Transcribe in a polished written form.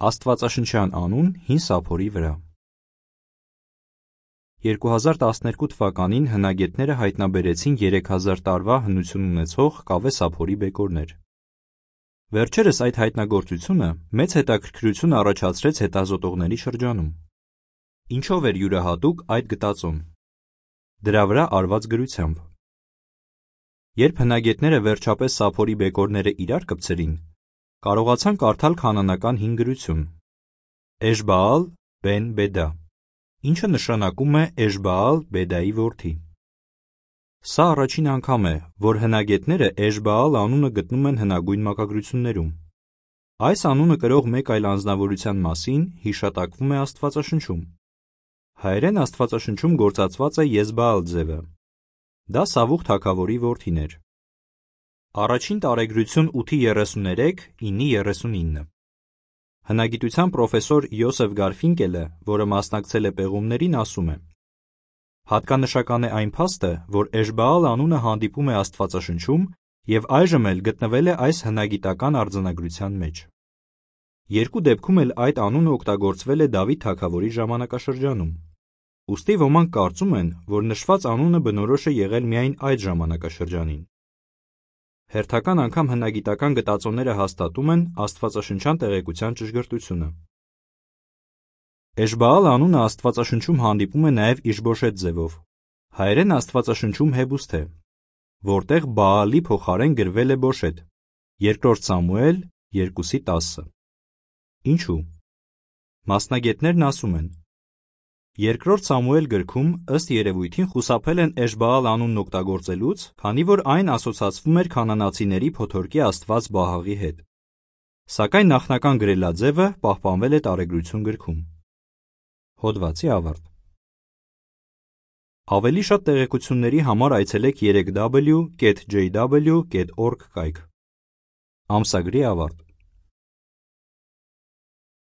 Աստվածաշնչյան անուն հին սափորի վրա։ 2012 թվականին հնագետները հայտնաբերեցին 3000 տարվա հնություն ունեցող կավե սափորի բեկորներ։ Վերջերս այդ հայտնագործությունը մեծ հետաքրքրություն առաջացրեց հետազոտողների շրջանում։ Ինչով էր յուրահատուկ այդ գտածոն։ Դրա վրա արված գրությամբ։ Երբ հնագետները վերջապես սափորի բեկորները իրար կպցրին, կարողացան կարդալ քանանական հին գրություն Էշբաալ բեն Բեդա, ինչը նշանակում է Էշբաալ Բեդայի որդի։ Սա առաջին անգամ է, որ հնագետները Էշբաալ անունը գտնում են հնագույն մակագրություններում։ Այս անունը կրող մեկ այլ անձնավորության մասին հիշատակվում է Աստվածաշնչում։ Հայերեն Աստվածաշնչում գործածված է Եզբաալ ձևը։ Դա Սավուղ թագավորի որդին էր։ Առաջին տարեգրություն 8:33, 9:39։ Հնագիտության պրոֆեսոր Յոսեֆ Գարֆինկելը, որը մասնակցել է պեղումներին, ասում է. հատկանշական է այն փաստը, որ Էշբաալ անունը հանդիպում է Աստվածաշնչում և այժմ էլ գտնվել է այս հնագիտական արձանագրության մեջ։ Երկու դեպքում էլ այդ անունը օգտագործվել է Դավիթ թագավորի ժամանակաշրջանում։ Ուստի ոմանք կարծում են, որ նշված անունը բնորոշ է եղել միայն այդ ժամանակաշրջանին։ Հերթական անգամ հնագիտական գտածոները հաստատում են աստվածաշնչյան տեղեկության ճշգրտությունը։ Էշբաալ անունը Աստվածաշնչում հանդիպում է նաև Իշբոշեթ ձևով։ Հայերեն Աստվածաշնչում Հեբուստ է, որտեղ Բաալի փոխարեն գրվել է Բոշեթ, 2 Սամուել 2:10։ Ինչու՞։ Մասնագետներն ասում են. 2 Սամուել գրքում ըստ երևույթին խուսափել են Էշբաալ անունն օգտագործելուց, քանի որ այն ասոցացվում էր քանանացիների փոթորկի աստված Բահաղի հետ։ Սակայն նախնական գրելաձևը պահպանվել է Տարեգրություն գրքում։ Հոդվացի ավարտ։ Ավելի շատ տեղեկությունների համար այցելեք 3w.jw.org կայք։ Ամսագրի ավարտ։